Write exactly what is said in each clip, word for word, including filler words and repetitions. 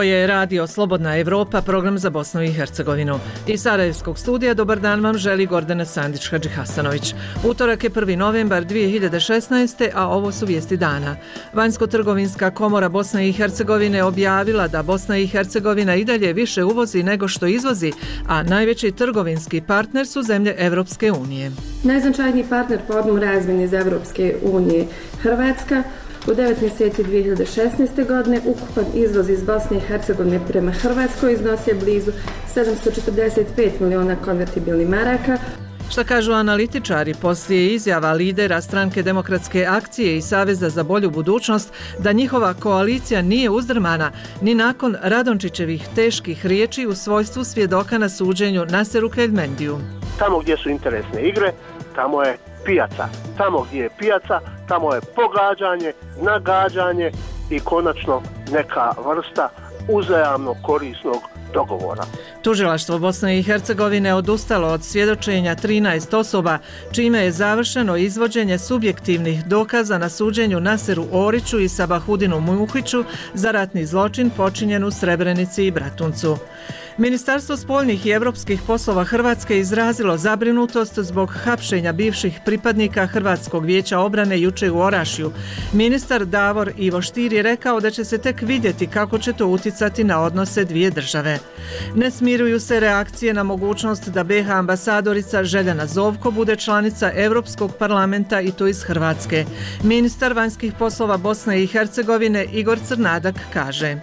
je Radio Slobodna Evropa, program za Bosnu i Hercegovinu. Iz Sarajevskog studija dobar dan vam želi Gordana Sandić-Hadžihasanović. Utorak je prvi novembar dvije hiljade šesnaeste. a ovo su vijesti dana. Vanjsko-trgovinska komora Bosne i Hercegovine objavila da Bosna i Hercegovina i dalje više uvozi nego što izvozi, a najveći trgovinski partner su zemlje Evropske unije. Najznačajniji partner po obnovu razmjene iz Evropske unije Hrvatska. U devet mjeseci dvije hiljade šesnaeste. godine ukupan izvoz iz Bosne i Hercegovine prema Hrvatskoj iznosio blizu sedamsto četrdeset pet miliona konvertibilnih maraka. Šta kažu analitičari poslije izjava lidera stranke Demokratske akcije i Saveza za bolju budućnost da njihova koalicija nije uzdrmana ni nakon Radončićevih teških riječi u svojstvu svjedoka na suđenju Naseru Keljmendiju. Tamo gdje su interesne igre, tamo je pijaca. Tamo gdje je pijaca, tamo je pogađanje, nagađanje i konačno neka vrsta uzajamno korisnog dogovora. Tužilaštvo Bosne i Hercegovine odustalo od svjedočenja trinaest osoba, čime je završeno izvođenje subjektivnih dokaza na suđenju Naseru Oriću i Sabahudinu Muhiću za ratni zločin počinjen u Srebrenici i Bratuncu. Ministarstvo spoljnih i europskih poslova Hrvatske izrazilo zabrinutost zbog hapšenja bivših pripadnika Hrvatskog vijeća obrane jučer u Orašju. Ministar Davor Ivo Stier je rekao da će se tek vidjeti kako će to uticati na odnose dvije države. Ne smiruju se reakcije na mogućnost da be ha ambasadorica Željana Zovko bude članica Europskog parlamenta i to iz Hrvatske. Ministar vanjskih poslova Bosne i Hercegovine Igor Crnadak kaže: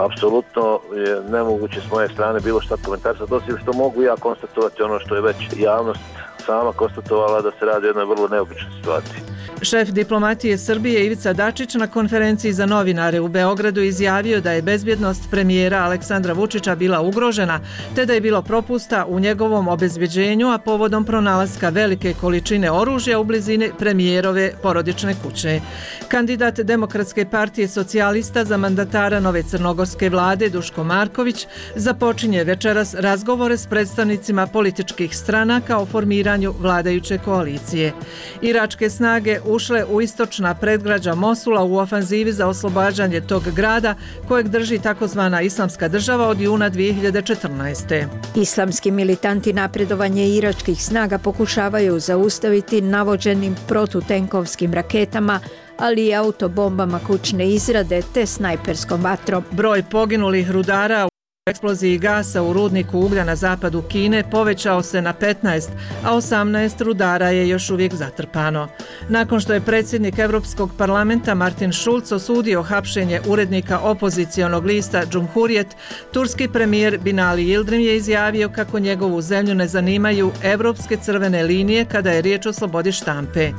Apsolutno je nemoguće s moje strane bilo šta komentarati, osim što mogu ja konstatovati ono što je već javnost sama konstatovala, da se radi o jednoj vrlo neobičnoj situaciji. Šef diplomatije Srbije Ivica Dačić na konferenciji za novinare u Beogradu izjavio da je bezbjednost premijera Aleksandra Vučića bila ugrožena, te da je bilo propusta u njegovom obezbeđenju, a povodom pronalaska velike količine oružja u blizini premijerove porodične kuće. Kandidat Demokratske partije socijalista za mandatara nove crnogorske vlade Duško Marković započinje večeras razgovore s predstavnicima političkih stranaka o formiranju vladajuće koalicije. Iračke snage ušle u istočna predgrađa Mosula u ofanzivi za oslobađanje tog grada kojeg drži takozvana Islamska država od juna dvije hiljade četrnaeste. Islamski militanti napredovanje iračkih snaga pokušavaju zaustaviti navođenim protutenkovskim raketama, ali i autobombama kućne izrade te snajperskom vatrom. Broj poginulih rudara u eksploziji gasa u rudniku uglja na zapadu Kine povećao se na petnaest, a osamnaest rudara je još uvijek zatrpano. Nakon što je predsjednik Europskog parlamenta Martin Schulz osudio hapšenje urednika opozicionog lista Cumhuriyet, turski premijer Binali Yildirim je izjavio kako njegovu zemlju ne zanimaju europske crvene linije kada je riječ o slobodi štampe.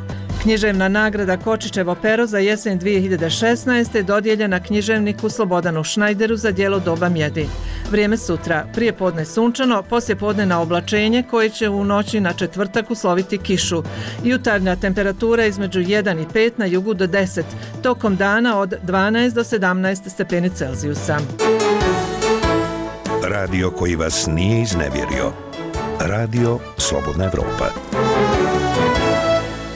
Književna nagrada Kočićevo pero za jesen dvije hiljade šesnaeste. dodijeljena književniku Slobodanu Šnajderu za djelo Doba mjedi. Vrijeme sutra, prije podne sunčano, poslije podne na oblačenje koje će u noći na četvrtak usloviti kišu. Jutarnja temperatura između jedan i pet, na jugu do deset, tokom dana od dvanaest do sedamnaest stepeni Celzijusa. Radio koji vas nije iznevjerio. Radio Slobodna Evropa.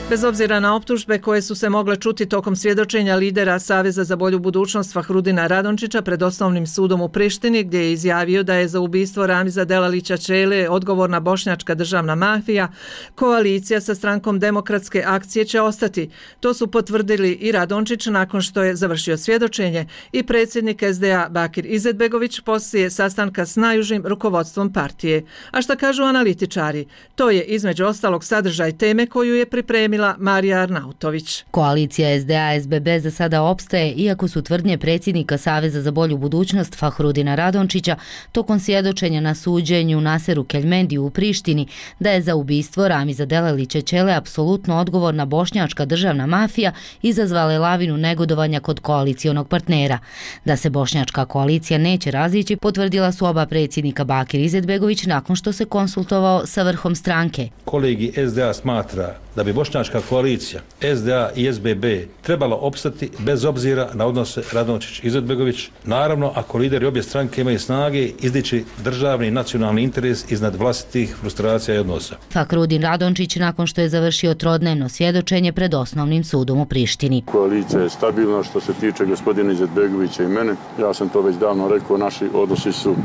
Bez obzira na optužbe koje su se mogle čuti tokom svjedočenja lidera Saveza za bolju budućnost Fahrudina Radončića pred osnovnim sudom u Prištini, gdje je izjavio da je za ubistvo Ramiza Delalića Čele odgovorna bošnjačka državna mafija, koalicija sa strankom Demokratske akcije će ostati. To su potvrdili i Radončić nakon što je završio svjedočenje i predsjednik es de a Bakir Izetbegović poslije sastanka s najužim rukovodstvom partije. A šta kažu analitičari? To je između ostalog sadržaj teme koju je pripremila Marija Arnautović. Koalicija es de a es be be za sada opstaje, iako su tvrdnje predsjednika Saveza za bolju budućnost Fahrudina Radončića tokom svjedočenja na suđenju Naseru Keljmendiju u Prištini da je za ubistvo Ramiza Delalića Čele apsolutno odgovorna bošnjačka državna mafija izazvale lavinu negodovanja kod koalicionog partnera. Da se bošnjačka koalicija neće razići, potvrdila su oba predsjednika Bakir Izetbegović nakon što se konsultovao sa vrhom stranke. Kolegi es de a smatra da bi bošnjačka koalicija S D A i S B B trebala opstati bez obzira na odnose Radončić-Izetbegović, naravno ako lideri obje stranke imaju snage izdići državni i nacionalni interes iznad vlastitih frustracija i odnosa. Fahrudin Radončić nakon što je završio trodnevno svjedočenje pred osnovnim sudom u Prištini. Koalicija je stabilna što se tiče gospodina Izetbegovića i mene. Ja sam to već davno rekao, naši odnosi su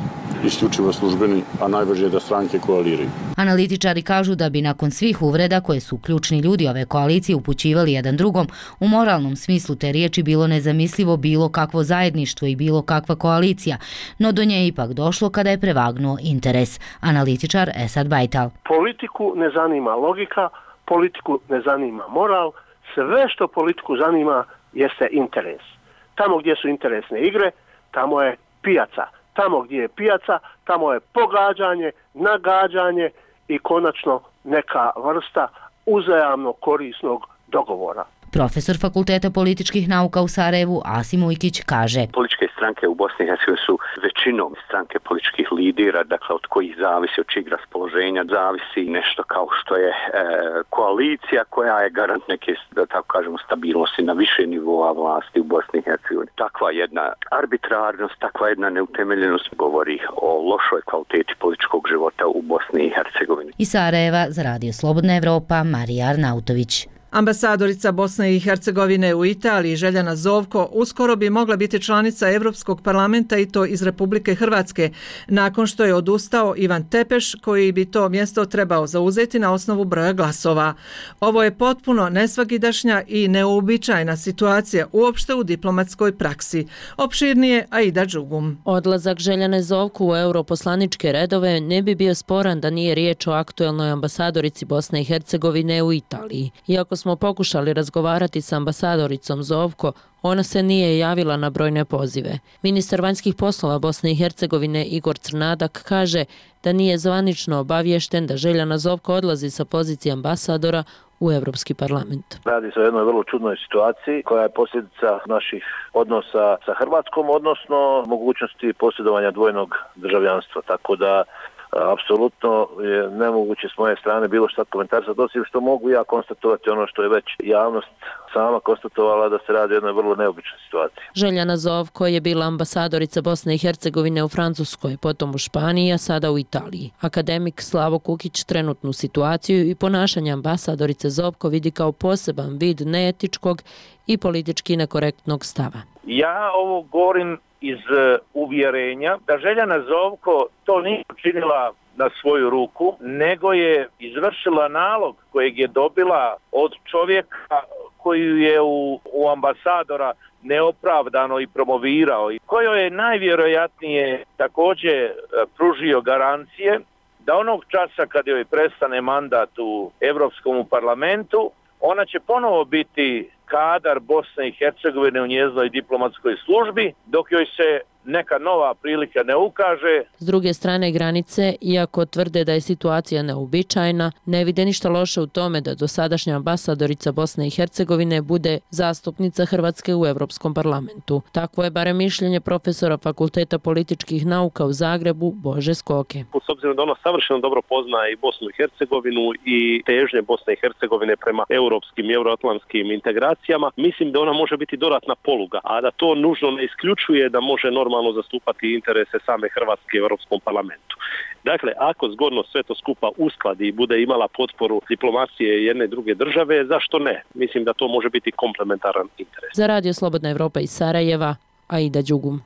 isključivo službeni, a najvažnije je da stranke koaliraju. Analitičari kažu da bi nakon svih uvreda koje su ključni ljudi ove koalicije upućivali jedan drugom, u moralnom smislu te riječi bilo nezamislivo bilo kakvo zajedništvo i bilo kakva koalicija, no do nje je ipak došlo kada je prevagnuo interes. Analitičar Esad Bajtal. Politiku ne zanima logika, politiku ne zanima moral, sve što politiku zanima jeste interes. Tamo gdje su interesne igre, tamo je pijaca. Tamo gdje je pijaca, tamo je pogađanje, nagađanje i konačno neka vrsta uzajamno korisnog dogovora. Profesor Fakulteta političkih nauka u Sarajevu Asim Ujkić kaže: Političke stranke u Bosni i Hercegovini su većinom stranke političkih lidera, dakle od kojih zavisi, od čijeg raspoloženja zavisi nešto kao što je e, koalicija koja je garant neke, da tako kažemo, stabilnosti na više nivoa vlasti u Bosni i Hercegovini. Takva jedna arbitrarnost, takva jedna neutemeljenost govori o lošoj kvaliteti političkog života u Bosni i Hercegovini. Iz Sarajeva za Radio Slobodna Evropa Marija Arnautović. Ambasadorica Bosne i Hercegovine u Italiji Željana Zovko uskoro bi mogla biti članica Europskog parlamenta i to iz Republike Hrvatske, nakon što je odustao Ivan Tepeš koji bi to mjesto trebao zauzeti na osnovu broja glasova. Ovo je potpuno nesvakidašnja i neuobičajena situacija uopšte u diplomatskoj praksi. Opširnije Aida Đugum. Odlazak Željane Zovko u europoslaničke redove ne bi bio sporan da nije riječ o aktuelnoj ambasadorici Bosne i Hercegovine u Italiji. Iako smo pokušali razgovarati s ambasadoricom Zovko, ona se nije javila na brojne pozive. Ministar vanjskih poslova Bosne i Hercegovine Igor Crnadak kaže da nije zvanično obaviješten da Željana Zovko odlazi sa pozicije ambasadora u Europski parlament. Radi se o jednoj vrlo čudnoj situaciji koja je posljedica naših odnosa sa Hrvatskom, odnosno mogućnosti posjedovanja dvojnog državljanstva, tako da apsolutno je nemoguće s moje strane bilo šta komentarsa, osim što mogu ja konstatovati ono što je već javnost sama konstatovala, da se radi o jednoj vrlo neobičnoj situaciji. Željana Zovko je bila ambasadorica Bosne i Hercegovine u Francuskoj, potom u Španiji, a sada u Italiji. Akademik Slavo Kukić trenutnu situaciju i ponašanje ambasadorice Zovko vidi kao poseban vid neetičkog i politički nekorektnog stava. Ja ovo govorim iz uvjerenja da Željana Zovko to nije učinila na svoju ruku, nego je izvršila nalog kojeg je dobila od čovjeka koju je u, u ambasadora neopravdano i promovirao i kojoj je najvjerojatnije također pružio garancije da onog časa kad joj prestane mandat u Europskom parlamentu, ona će ponovo biti kadar Bosne i Hercegovine u njezinoj diplomatskoj službi, dok joj se neka nova prilika ne ukaže. S druge strane granice, iako tvrde da je situacija neobičajna, ne vide ništa loše u tome da dosadašnja ambasadorica Bosne i Hercegovine bude zastupnica Hrvatske u Europskom parlamentu. Takvo je barem mišljenje profesora Fakulteta političkih nauka u Zagrebu Bože Skoke. S obzirom da ona savršeno dobro poznaje i Bosnu i Hercegovinu i težnje Bosne i Hercegovine prema europskim i euroatlantskim integracijama, mislim da ona može biti dodatna poluga, a da to nužno ne isključuje da može normalno normalno zastupati interese same Hrvatske u Europskom parlamentu. Dakle, ako zgodno sve to skupa uskladi i bude imala potporu diplomacije jedne i druge države, zašto ne? Mislim da to može biti komplementaran interes. Za Radio Slobodna Evropa iz Sarajeva, Aida Đugum.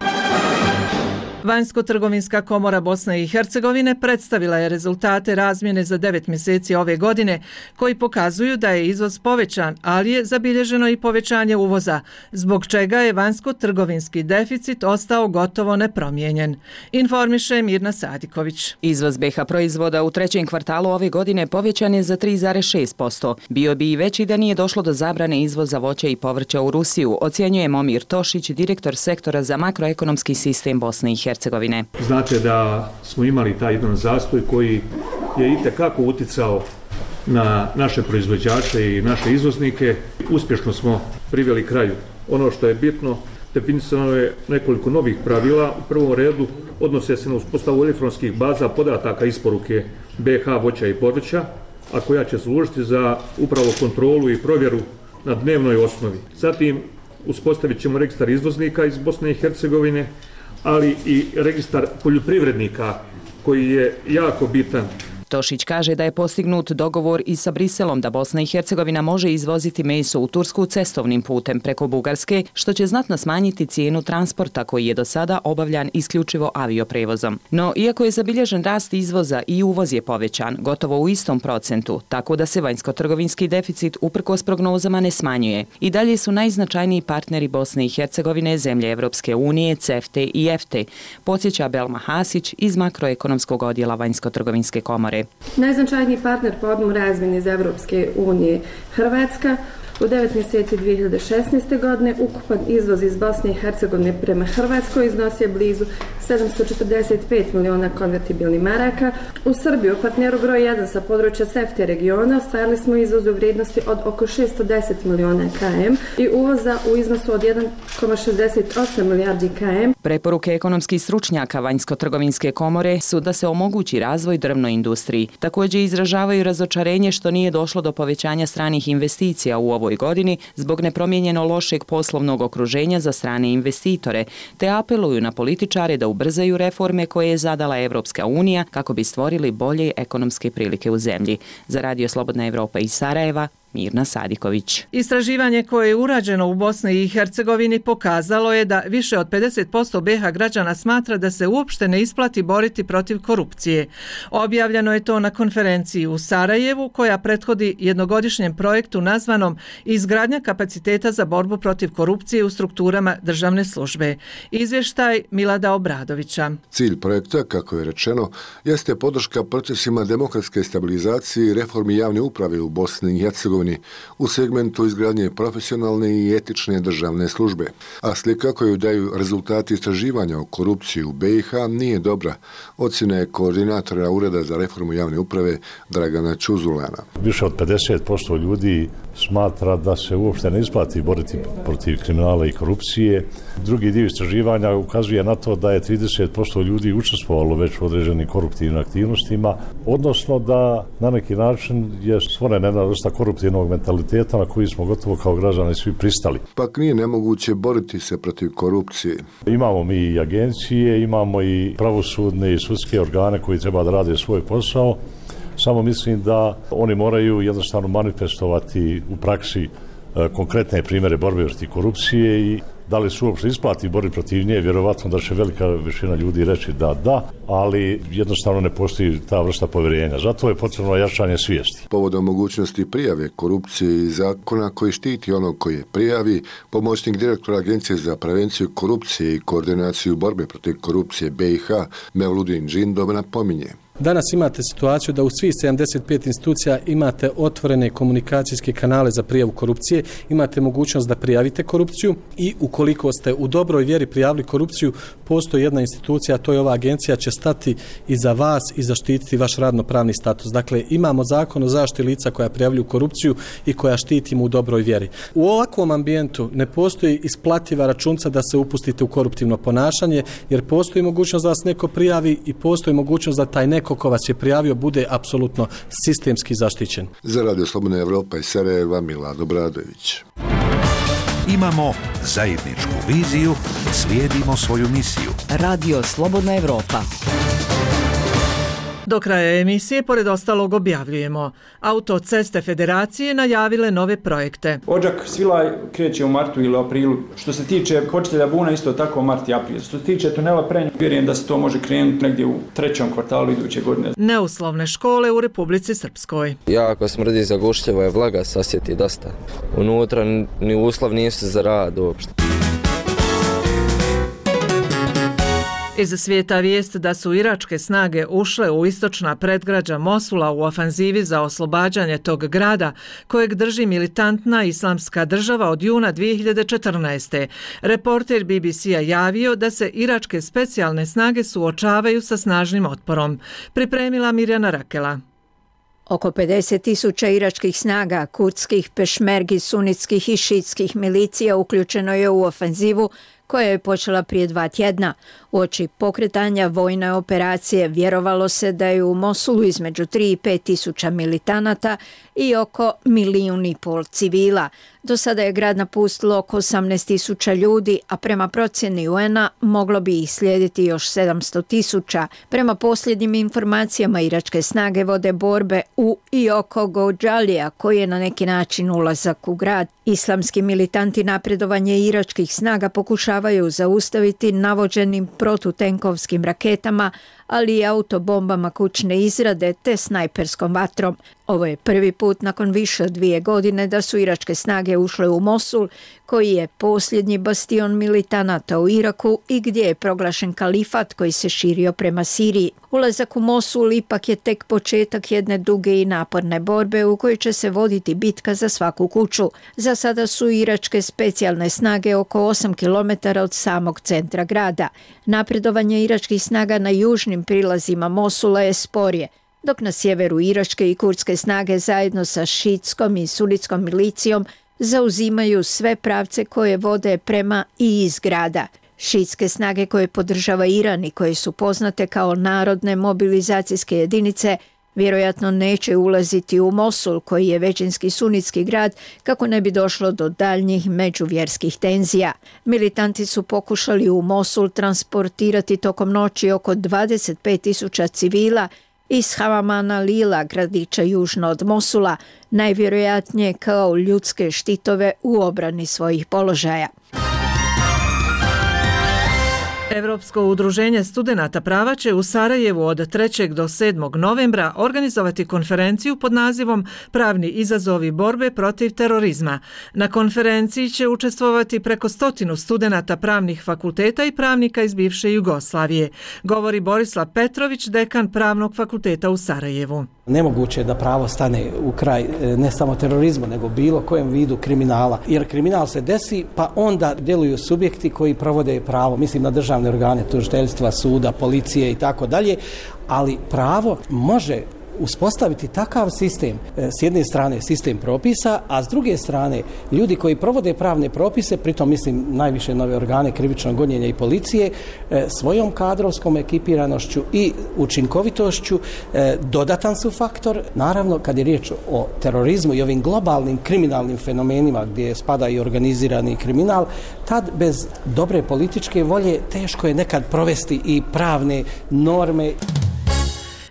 Vanjsko-trgovinska komora Bosne i Hercegovine predstavila je rezultate razmjene za devet mjeseci ove godine koji pokazuju da je izvoz povećan, ali je zabilježeno i povećanje uvoza, zbog čega je vanjsko-trgovinski deficit ostao gotovo nepromijenjen. Informiše Mirna Sadiković. Izvoz B iH proizvoda u trećem kvartalu ove godine povećan je za tri zarez šest posto. Bio bi i veći da nije došlo do zabrane izvoza voća i povrća u Rusiju, ocjenjuje Momir Tošić, direktor sektora za makroekonomski sistem Bosne i Hercegovine. Znate da smo imali taj jedan zastoj koji je itekako uticao na naše proizvođače i naše izvoznike. Uspješno smo priveli kraju. Ono što je bitno, definisano je nekoliko novih pravila. U prvom redu odnose se na uspostavu elektronskih baza podataka isporuke B iH voća i povrća, a koja će služiti za upravo kontrolu i provjeru na dnevnoj osnovi. Zatim uspostavit ćemo registar izvoznika iz Bosne i Hercegovine, ali i registar poljoprivrednika koji je jako bitan. Tošić kaže da je postignut dogovor i sa Briselom da Bosna i Hercegovina može izvoziti meso u Tursku cestovnim putem preko Bugarske, što će znatno smanjiti cijenu transporta koji je do sada obavljan isključivo avioprevozom. No, iako je zabilježen rast izvoza i uvoz je povećan, gotovo u istom procentu, tako da se vanjsko-trgovinski deficit uprkos prognozama ne smanjuje. I dalje su najznačajniji partneri Bosne i Hercegovine zemlje Evropske unije, CEFTE i EFTE, podsjeća Belma Hasić iz makroekonomskog odjela vanjsko-trgovinske komore. Najznačajniji partner po objemu razmjene iz Evropske unije Hrvatska. U devet mjeseci dvije hiljade šesnaeste. godine ukupan izvoz iz Bosne i Hercegovine prema Hrvatskoj iznosio blizu sedamsto četrdeset pet miliona konvertibilnih maraka. U Srbiju, partneru broj jedan sa područja CEFTE regiona, ostvarili smo izvoz u vrijednosti od oko šesto deset miliona km i uvoza u iznosu od jedan zarez šezdeset osam milijardi km. Preporuke ekonomskih stručnjaka vanjsko-trgovinske komore su da se omogući razvoj drvnoj industriji. Također izražavaju razočarenje što nije došlo do povećanja stranih investicija u ovoj godini zbog nepromijenjeno lošeg poslovnog okruženja za strane investitore, te apeluju na političare da ubrzaju reforme koje je zadala Evropska unija kako bi stvorili bolje ekonomske prilike u zemlji. Za Radio Slobodna Evropa iz Sarajeva, Mirna Sadiković. Istraživanje koje je urađeno u Bosni i Hercegovini pokazalo je da više od pedeset posto B iH građana smatra da se uopšte ne isplati boriti protiv korupcije. Objavljeno je to na konferenciji u Sarajevu koja prethodi jednogodišnjem projektu nazvanom Izgradnja kapaciteta za borbu protiv korupcije u strukturama državne službe. Izvještaj Milada Obradovića. Cilj projekta, kako je rečeno, jeste podrška procesima demokratske stabilizacije i reformi javne uprave u Bosni i Hercegovini u segmentu izgradnje profesionalne i etične državne službe. A slika koju daju rezultati istraživanja o korupciji u B iH nije dobra, ocjena je koordinatora Ureda za reformu javne uprave Dragana Čuzulana. Više od pedeset posto ljudi smatra da se uopšte ne isplati boriti protiv kriminala i korupcije. Drugi dio istraživanja ukazuje na to da je trideset posto ljudi učestvovalo već u određenim koruptivnim aktivnostima, odnosno da na neki način je stvorena jedna vrsta koruptivnog mentaliteta na koji smo gotovo kao građani svi pristali. Pak nije nemoguće boriti se protiv korupcije. Imamo mi i agencije, imamo i pravosudne i sudske organe koji treba da rade svoj posao. Samo mislim da oni moraju jednostavno manifestovati u praksi e, konkretne primjere borbe protiv korupcije i da li su uopšte isplati boriti protiv nje, vjerovatno da će velika većina ljudi reći da da, ali jednostavno ne postoji ta vrsta povjerenja. Zato je potrebno jačanje svijesti. Povodom mogućnosti prijave korupcije i zakona koji štiti onog koji je prijavi, pomoćnik direktora Agencije za prevenciju korupcije i koordinaciju borbe protiv korupcije B iH Mevludin Džindov napominje. Danas imate situaciju da u svih sedamdeset pet institucija imate otvorene komunikacijske kanale za prijavu korupcije, imate mogućnost da prijavite korupciju i ukoliko ste u dobroj vjeri prijavili korupciju, postoji jedna institucija, a to je ova agencija, će stati iza vas i zaštititi vaš radno-pravni status. Dakle, imamo zakon o zaštiti lica koja prijavljuju korupciju i koja štitimo u dobroj vjeri. U ovakvom ambijentu ne postoji isplativa računca da se upustite u koruptivno ponašanje, jer postoji mogućnost da vas neko prijavi i postoji mogućnost da taj neko ko vas je prijavio bude apsolutno sistemski zaštićen. Za Radio Slobodna Evropa iz Sarajeva, Milad Obradović. Imamo zajedničku viziju, slijedimo svoju misiju. Radio Slobodna Evropa. Do kraja emisije, pored ostalog, objavljujemo. Autoceste Federacije najavile nove projekte. Odžak Svilaj kreće u martu ili aprilu. Što se tiče Hočitelja Buna, isto tako mart i april. Što se tiče tunela Prenja, vjerujem da se to može krenuti negdje u trećem kvartalu iduće godine. Neuslovne škole u Republici Srpskoj. Jako smrdi za gušljivo je vlaga, sasjeti dosta. Unutra ni uslov nisu za rad uopšte. Iz svijeta vijest da su iračke snage ušle u istočna predgrađa Mosula u ofanzivi za oslobađanje tog grada, kojeg drži militantna islamska država od juna dvije hiljade četrnaeste. Reporter B B C-a javio da se iračke specijalne snage suočavaju sa snažnim otporom. Pripremila Mirjana Rakela. Oko pedeset tisuća iračkih snaga, kurdskih, pešmergi, sunitskih i šitskih milicija uključeno je u ofenzivu koja je počela prije dva tjedna. Uoči pokretanja vojne operacije vjerovalo se da je u Mosulu između tri i pet tisuća militanata i oko milijun i pol civila. Do sada je grad napustilo oko osamnaest tisuća ljudi, a prema procjeni U N-a moglo bi ih slijediti još sedamsto tisuća. Prema posljednjim informacijama, iračke snage vode borbe u i oko Gođalija, koji je na neki način ulazak u grad. Islamski militanti napredovanje iračkih snaga pokušavaju zaustaviti navođenim protutenkovskim raketama, ali i autobombama kućne izrade te snajperskom vatrom. Ovo je prvi put nakon više od dvije godine da su iračke snage ušle u Mosul, koji je posljednji bastion militanata u Iraku i gdje je proglašen kalifat koji se širio prema Siriji. Ulazak u Mosul ipak je tek početak jedne duge i naporne borbe u kojoj će se voditi bitka za svaku kuću. Za sada su iračke specijalne snage oko osam kilometara od samog centra grada. Napredovanje iračkih snaga na južnim prilazima Mosula je sporije, dok na sjeveru iračke i kurdske snage zajedno sa šiitskom i sunitskom milicijom zauzimaju sve pravce koje vode prema i iz grada. Šiitske snage koje podržava Iran i koje su poznate kao narodne mobilizacijske jedinice vjerojatno neće ulaziti u Mosul, koji je većinski sunitski grad, kako ne bi došlo do daljnjih međuvjerskih tenzija. Militanti su pokušali u Mosul transportirati tokom noći oko dvadeset pet tisuća civila iz Hamamana Lila, gradića južno od Mosula, najvjerojatnije kao ljudske štitove u obrani svojih položaja. Europsko udruženje studenata prava će u Sarajevu od trećeg do sedmog novembra organizovati konferenciju pod nazivom Pravni izazovi borbe protiv terorizma. Na konferenciji će učestvovati preko stotinu studenata pravnih fakulteta i pravnika iz bivše Jugoslavije, govori Borislav Petrović, dekan Pravnog fakulteta u Sarajevu. Nemoguće je da pravo stane u kraj ne samo terorizmu, nego bilo kojem vidu kriminala. Jer kriminal se desi, pa onda djeluju subjekti koji provode pravo. Mislim na državne organe, tužiteljstva, suda, policije i tako dalje. Ali pravo može uspostaviti takav sistem, s jedne strane sistem propisa, a s druge strane ljudi koji provode pravne propise, pritom mislim najviše nove organe krivičnog gonjenja i policije, svojom kadrovskom ekipiranošću i učinkovitošću dodatan su faktor. Naravno, kad je riječ o terorizmu i ovim globalnim kriminalnim fenomenima gdje spada i organizirani kriminal, tad bez dobre političke volje teško je nekad provesti i pravne norme.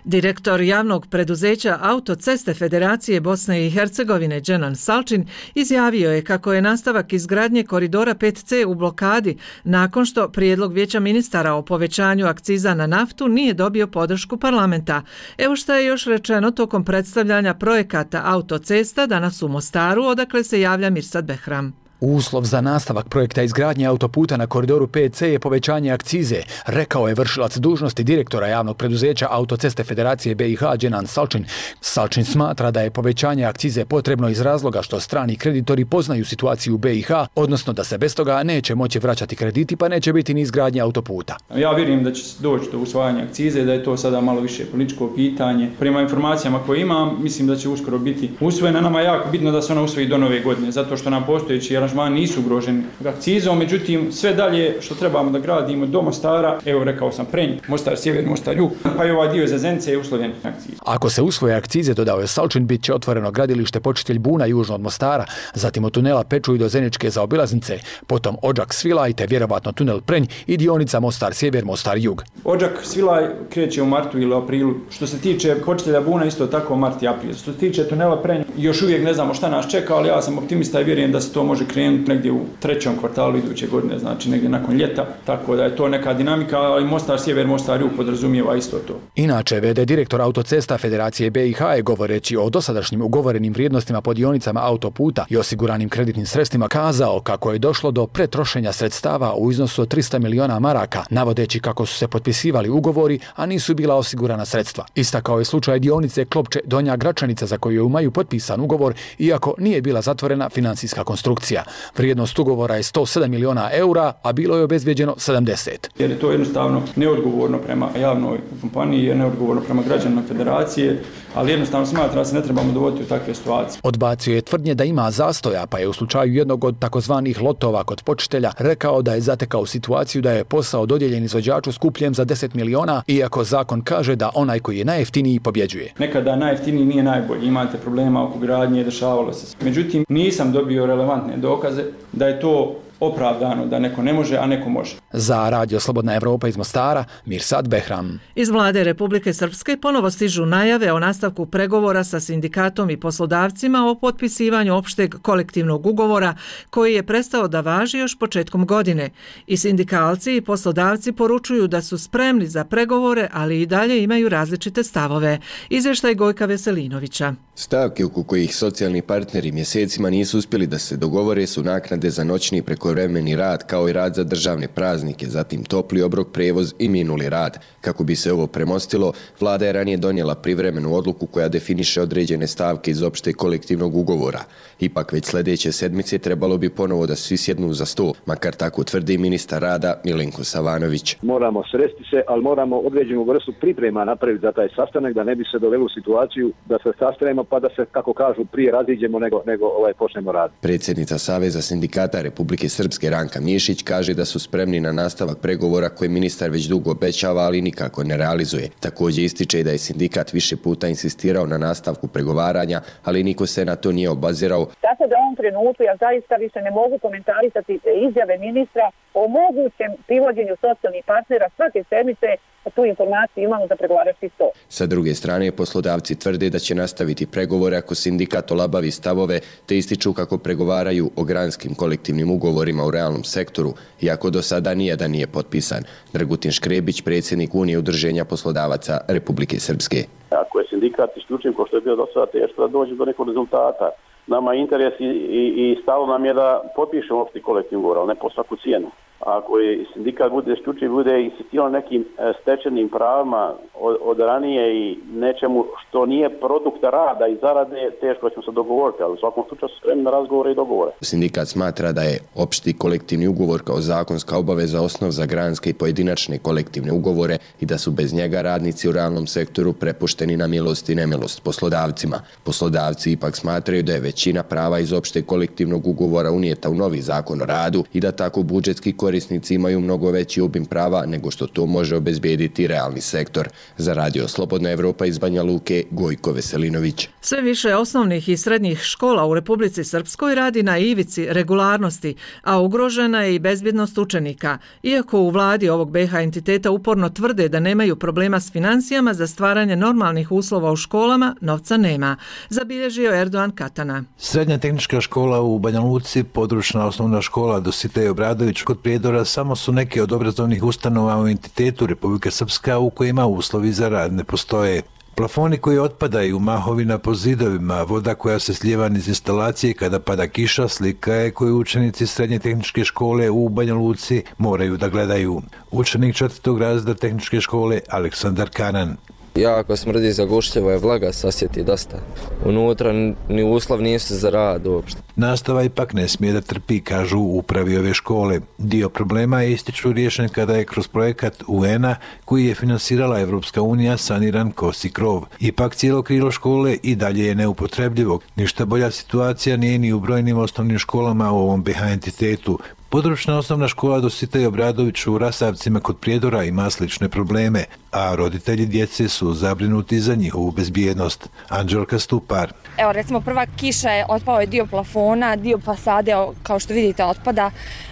Direktor javnog preduzeća Autoceste Federacije Bosne i Hercegovine Dženan Salčin izjavio je kako je nastavak izgradnje koridora pet ce u blokadi nakon što prijedlog Vijeća ministara o povećanju akciza na naftu nije dobio podršku parlamenta. Evo što je još rečeno tokom predstavljanja projekata autocesta danas u Mostaru, odakle se javlja Mirsad Behram. Uslov za nastavak projekta izgradnje autoputa na koridoru pet ce je povećanje akcize, rekao je vršilac dužnosti direktora javnog preduzeća Autoceste Federacije be i ha Dženan Salčin. Salčin smatra da je povećanje akcize potrebno iz razloga što strani kreditori poznaju situaciju u be i ha, odnosno da se bez toga neće moći vraćati krediti, pa neće biti ni izgradnje autoputa. Ja vjerujem da će doći do usvajanja akcize, da je to sada malo više političko pitanje. Prema informacijama koje imam, mislim da će uskoro biti usvojena. Nama je jako bitno da se ona usvoji do nove godine, zato što nam postojeći aranžmani nisu ugroženi akcizom, međutim sve dalje što trebamo da gradimo do Mostara, evo rekao sam Prenj, Mostar sjever, Mostar jug, pa i ovaj dio za Zenice je uslovljen akcizom. Ako se usvoje akcize, dodao je Salčin, bit će otvoreno gradilište Počitelj Buna južno od Mostara, zatim od tunela Pečuj do Zeničke zaobilaznice, potom Odžak Svilaj te vjerovatno tunel Prenj i dionica Mostar sjever, Mostar jug. Odžak Svilaj kreće u martu ili aprilu. Što se tiče Počitelja Buna, isto tako mart i april. Što se tiče tunela Prenj, još uvijek ne znamo šta nas čeka, ali ja sam optimista i vjerujem da se to može krenuti negdje u trećem kvartalu iduće godine, znači negdje nakon ljeta, tako da je to neka dinamika, ali Mostar sjever, Mostar jug podrazumijeva isto to. Inače, ve de direktor Autocesta Federacije be i ha je govoreći o dosadašnjim ugovorenim vrijednostima po dionicama autoputa i osiguranim kreditnim sredstvima kazao kako je došlo do pretrošenja sredstava u iznosu od trista miliona maraka, navodeći kako su se potpisivali ugovori, a nisu bila osigurana sredstva. Istakao je slučaj dionice Klopče Donja Gračanica za koju imaju potpisan ugovor, iako nije bila zatvorena financijska konstrukcija. Vrijednost ugovora je sto sedam miliona eura, a bilo je obezbijeđeno sedamdeset. Jer je to jednostavno neodgovorno prema javnoj kompaniji, je neodgovorno prema građanima federacije, ali jednostavno smatra da se ne trebamo dovoditi u takve situacije. Odbacio je tvrdnje da ima zastoja, pa je u slučaju jednog od takozvanih lotova kod počitelja rekao da je zatekao situaciju da je posao dodijeljen izvođaču skupljem za deset miliona, iako zakon kaže da onaj koji je najjeftiniji pobjeđuje. Nekada najjeftiniji nije najbolji, imate problema oko gradnje, dešavalo se. Međutim, nisam dobio relevantne dokaze da je to opravdano da neko ne može, a neko može. Za Radio Slobodna Evropa iz Mostara, Mirsad Behram. Iz vlade Republike Srpske ponovo stižu najave o nastavku pregovora sa sindikatom i poslodavcima o potpisivanju opšteg kolektivnog ugovora koji je prestao da važi još početkom godine. I sindikalci i poslodavci poručuju da su spremni za pregovore, ali i dalje imaju različite stavove. Izvještaj Gojka Veselinovića. Stavke oko kojih socijalni partneri mjesecima nisu uspjeli da se dogovore su naknade za noćni prekovremeni rad kao i rad za državne praznike, zatim topli obrok, prevoz i minuli rad. Kako bi se ovo premostilo, vlada je ranije donijela privremenu odluku koja definiše određene stavke iz opšte kolektivnog ugovora. Ipak već sljedeće sedmice trebalo bi ponovo da svi sjednu za sto, makar tako tvrdi ministar rada Milenko Savanović. Moramo sresti se, ali moramo određenu vrstu priprema napraviti za taj sastanak da ne bi se doveli u situaciju da se sastanemo pa da se, kako kažu, prije raziđemo nego, nego ovaj, počnemo raditi. Predsjednica Saveza sindikata Republike Srpske Ranka Mišić kaže da su spremni na nastavak pregovora koje ministar već dugo obećava, ali nikako ne realizuje. Također ističe da je sindikat više puta insistirao na nastavku pregovaranja, ali niko se na to nije obazirao. Tako da u ovom trenutku ja zaista više ne mogu komentarisati izjave ministra o mogućem privođenju socijalnih partnera svake sedmice, a tu informaciju imamo za pregovarački sto. Sa druge strane, poslodavci tvrde da će nastaviti pregovore ako sindikat olabavi stavove, te ističu kako pregovaraju o granskim kolektivnim ugovorima u realnom sektoru, iako do sada nijedan nije potpisan. Dragutin Škrebić, predsjednik Unije udruženja poslodavaca Republike Srpske. Ako je sindikat isključiv, ko što je bio do sada, teško da dođe do nekog rezultata. Nama interes i, i, i stalo nam je da potpišemo opšti kolektivni ugovor, ali ne po svaku cijenu. Ako je sindikat bude isključiv, bude insistirao nekim stečenim pravima od, od ranije i nečemu što nije produkt rada i zarade, teško ćemo se dogovoriti, ali u svakom slučaju su spremni na razgovore i dogovore. Sindikat smatra da je opšti kolektivni ugovor kao zakonska obaveza osnov za granske i pojedinačne kolektivne ugovore i da su bez njega radnici u realnom sektoru prepušteni na milost i nemilost poslodavcima. Poslodavci ipak smatraju da je većina prava iz opšteg kolektivnog ugovora unijeta u novi zakon o radu i da tako budžetski korisnici imaju mnogo veći obim prava nego što to može obezbijediti realni sektor. Za Radio Slobodna Evropa iz Banja Luke, Gojko Veselinović. Sve više osnovnih i srednjih škola u Republici Srpskoj radi na ivici regularnosti, a ugrožena je i bezbjednost učenika. Iako u vladi ovog B iH entiteta uporno tvrde da nemaju problema s financijama za stvaranje normalnih uslova u školama, novca nema, zabilježio Erdogan Katana. Srednja tehnička škola u Banja Luci, područna osnovna škola Dositej Obradović kod Prijedora samo su neke od obrazovnih ustanova u entitetu Republike Srpska u kojima uslovi za rad ne postoje. Plafoni koji otpadaju, mahovina po zidovima, voda koja se slijeva iz instalacije kada pada kiša, slika je koju učenici srednje tehničke škole u Banja Luci moraju da gledaju. Učenik četvrtog razreda tehničke škole Aleksandar Kanan. Jako smrdi, zagušljivo je, vlaga se osjeti dosta. Unutra ni uslov nisu za rad uopšte. Nastava ipak ne smije da trpi, kažu u upravi ove škole. Dio problema je ističu riješen kada je kroz projekat U N-a koji je finansirala Evropska unija saniran kosi krov. Ipak cijelo krilo škole i dalje je neupotrebljivo. Ništa bolja situacija nije ni u brojnim osnovnim školama u ovom B iH entitetu. Područna osnovna škola Dositej Obradović u Rasavcima kod Prijedora ima slične probleme, a roditelji djece su zabrinuti za njihovu bezbjednost. Anđelka Stupar. Evo recimo prva kiša je, otpao je dio plafona, dio fasade kao što vidite otpada.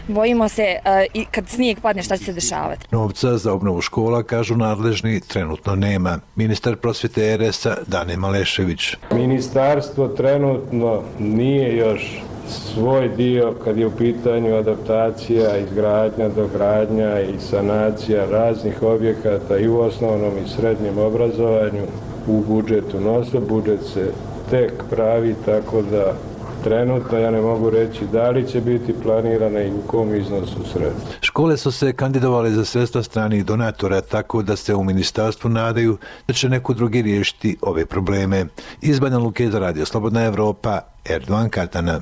Bojimo se uh, i kad snijeg padne šta će se dešavati. Novca za obnovu škola, kažu nadležni, trenutno nema. Ministar prosvjete R S-a Dane Malešević. Ministarstvo trenutno nije još svoj dio kad je u pitanju adaptacija, izgradnja, dogradnja i sanacija raznih objekata i u osnovnom i srednjem obrazovanju u budžetu nose. Budžet se tek pravi, tako da trenutno ja ne mogu reći da li će biti planirana i u kom iznosu sredstva. Škole su se kandidovale za sredstva stranih donatora, tako da se u ministarstvu nadaju da će neko drugi riješiti ove probleme. Iz Banja Luke za Radio Slobodna Evropa, Erdogan Katana.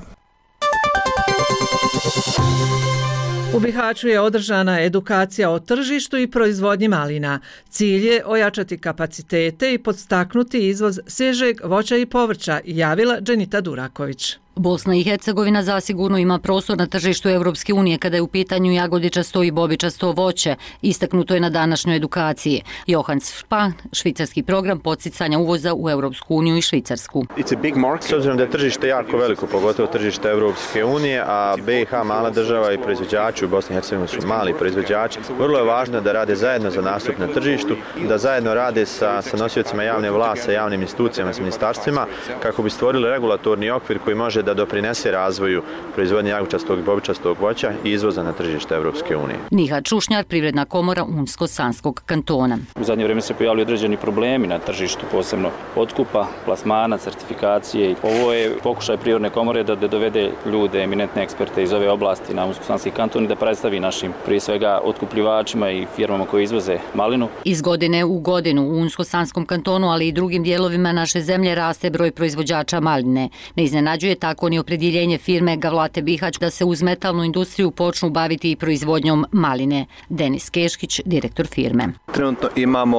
U Bihaću je održana edukacija o tržištu i proizvodnji malina. Cilj je ojačati kapacitete i podstaknuti izvoz svježeg voća i povrća, javila Dženita Duraković. Bosna i Hercegovina zasigurno ima prostor na tržištu Evropske unije kada je u pitanju jagodičasto i bobičasto voće, istaknuto je na današnjoj edukaciji. Johans Spahn, švicarski program podsticanja uvoza u Evropsku uniju i Švicarsku. It's a big market, s obzirom da je tržište jako veliko, pogotovo tržište Evropske unije, a B i H mala država i proizvođači u Bosni i Hercegovini su mali proizvođači. Vrlo je važno da rade zajedno za nastup na tržištu, da zajedno rade sa, sa nosiocima javne vlasti, sa javnim institucijama, s ministarstvima, kako bi stvorili regulatorni okvir koji može da doprinese razvoju proizvodnje jagodičastog i bobičastog voća i izvoza na tržište Evropske unije. Nihat Čušnjar, Privredna komora Unsko-Sanskog kantona. U zadnje vrijeme se pojavljaju određeni problemi na tržištu, posebno otkupa, plasmana, certifikacije. Ovo je pokušaj Privredne komore da dovede ljude, eminentne eksperte iz ove oblasti na Unsko-Sanski kanton i da predstavi našim, prije svega, otkupljivačima i firmama koji izvoze malinu. Iz godine u godinu u Unsko-Sanskom kantonu, ali i drugim dijelovima naše zemlje raste broj proizvođača maline. Ne iznenađuje tako ni opredjeljenje firme Gavlate Bihać da se uz metalnu industriju počnu baviti i proizvodnjom maline. Denis Keškić, direktor firme. Trenutno imamo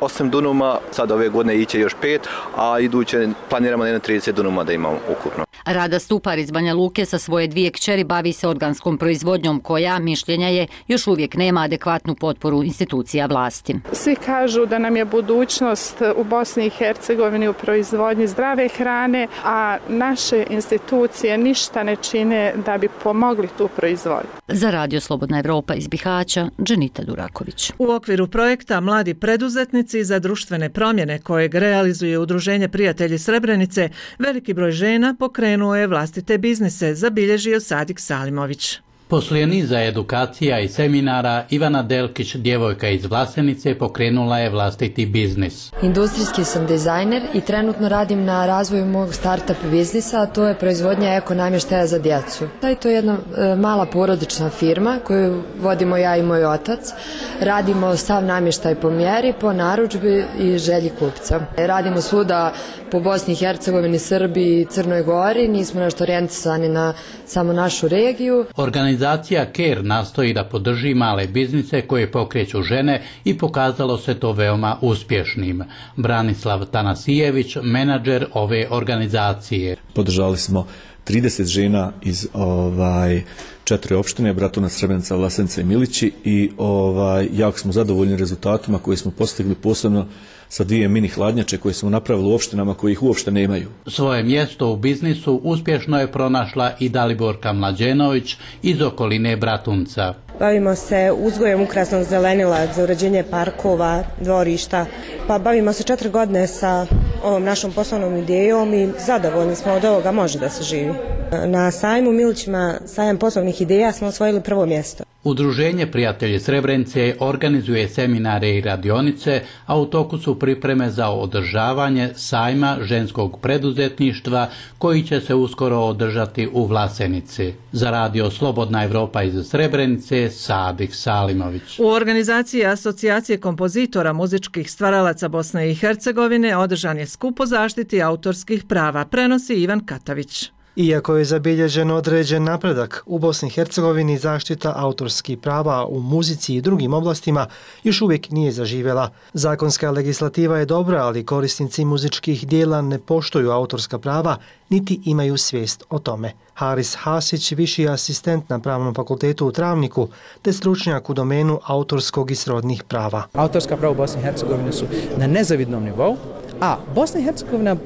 osam dunuma, sad ove godine iće još pet, a iduće planiramo na trideset dunuma da imamo ukupno. Rada Stupar iz Banja Luke sa svoje dvije kćeri bavi se organskom proizvodnjom koja, mišljenja je, još uvijek nema adekvatnu potporu institucija vlasti. Svi kažu da nam je budućnost u Bosni i Hercegovini u proizvodnji zdrave hrane, a naše institucije ništa ne čine da bi pomogli tu proizvodnju. Za Radio Slobodna Evropa iz Bihaća, Dženita Duraković. U okviru projekta Mladi preduzetnici za društvene promjene kojeg realizuje Udruženje Prijatelji Srebrenice, veliki broj žena pokrenuo je vlastite biznise, zabilježio Sadik Salimović. Poslije niza edukacija i seminara, Ivana Delkić, djevojka iz Vlasenice, pokrenula je vlastiti biznis. Industrijski sam dizajner i trenutno radim na razvoju mog startup biznisa, a to je proizvodnja eko namještaja za djecu. To je jedna e, mala porodična firma koju vodimo ja i moj otac. Radimo sav namještaj po mjeri, po narudžbi i želji kupca. Radimo svuda po Bosni i Hercegovini, Srbiji i Crnoj Gori, nismo nešto orijentisani na samo našu regiju. Organizacija CARE nastoji da podrži male biznise koje pokreću žene i pokazalo se to veoma uspješnim. Branislav Tanasijević, menadžer ove organizacije. Podržali smo trideset žena iz ovaj četiri opštine, Bratunac, Srebrenica, Vlasenica i Milići i ovaj jako smo zadovoljni rezultatima koje smo postigli, posebno sa dvije mini hladnjače koje smo napravili u opštinama koji ih uopšte nemaju. Svoje mjesto u biznisu uspješno je pronašla i Daliborka Mlađenović iz okoline Bratunca. Bavimo se uzgojem ukrasnog zelenila za uređenje parkova, dvorišta. Pa bavimo se četiri godine sa ovom našom poslovnom idejom i zadovoljni smo od ovoga, može da se živi. Na sajmu Milićima, sajam poslovnih ideja, smo osvojili prvo mjesto. Udruženje Prijatelji Srebrenice organizuje seminare i radionice, a u toku su pripreme za održavanje sajma ženskog preduzetništva koji će se uskoro održati u Vlasenici. Za Radio Slobodna Evropa iz Srebrenice, Sadik Salimović. U organizaciji Asocijacije kompozitora muzičkih stvaralaca Bosne i Hercegovine održan je skup o zaštiti autorskih prava, prenosi Ivan Katavić. Iako je zabilježen određen napredak, u Bosni i Hercegovini zaštita autorskih prava u muzici i drugim oblastima još uvijek nije zaživjela. Zakonska legislativa je dobra, ali korisnici muzičkih dijela ne poštuju autorska prava, niti imaju svijest o tome. Haris Hasić, viši asistent na Pravnom fakultetu u Travniku, te stručnjak u domenu autorskog i srodnih prava. Autorska prava u Bosni i Hercegovini su na nezavidnom nivou, a Bosna i Hercegovina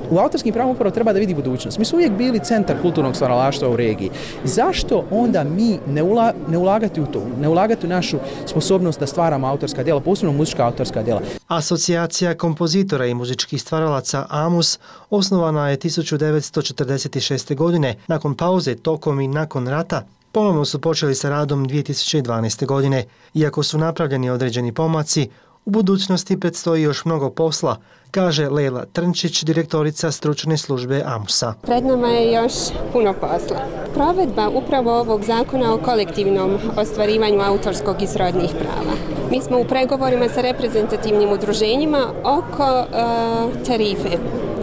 u autorskim pravima upravo treba da vidi budućnost. Mi smo uvijek bili centar kulturnog stvaralaštva u regiji. Zašto onda mi ne, ula, ne ulagati u to, ne ulagati u našu sposobnost da stvaramo autorska djela, posebno muzička autorska djela? Asocijacija kompozitora i muzičkih stvaralaca AMUS osnovana je tisuću devetsto četrdeset šeste. godine. Nakon pauze, tokom i nakon rata, ponovno su počeli sa radom dvije tisuće dvanaeste. godine. Iako su napravljeni određeni pomaci, u budućnosti predstoji još mnogo posla, kaže Lejla Trnčić, direktorica stručne službe AMUS-a. Pred nama je još puno posla. Provedba upravo ovog zakona o kolektivnom ostvarivanju autorskog i srodnih prava. Mi smo u pregovorima sa reprezentativnim udruženjima oko uh, tarife.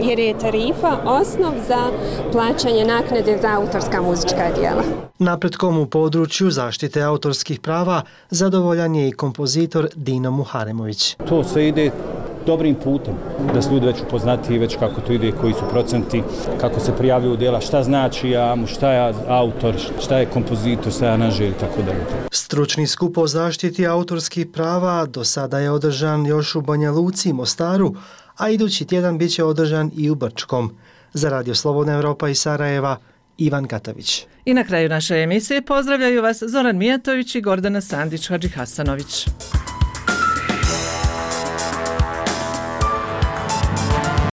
jer je tarifa osnov za plaćanje naknade za autorska muzička dijela. Napretkom u području zaštite autorskih prava zadovoljan je i kompozitor Dino Muharemović. To sve ide dobrim putem, da su ljudi već upoznati već kako to ide, koji su procenti, kako se prijavljuju djela, šta znači ja, šta je autor, šta je kompozitor, šta je aranžer i tako dalje. Stručni skup o zaštiti autorskih prava do sada je održan još u Banja Luci i Mostaru, a idući tjedan bit će održan i u Brčkom. Za Radio Slobodna Evropa iz Sarajeva, Ivan Katavić. I na kraju naše emisije pozdravljaju vas Zoran Mijatović i Gordana Sandić-Hadžihasanović.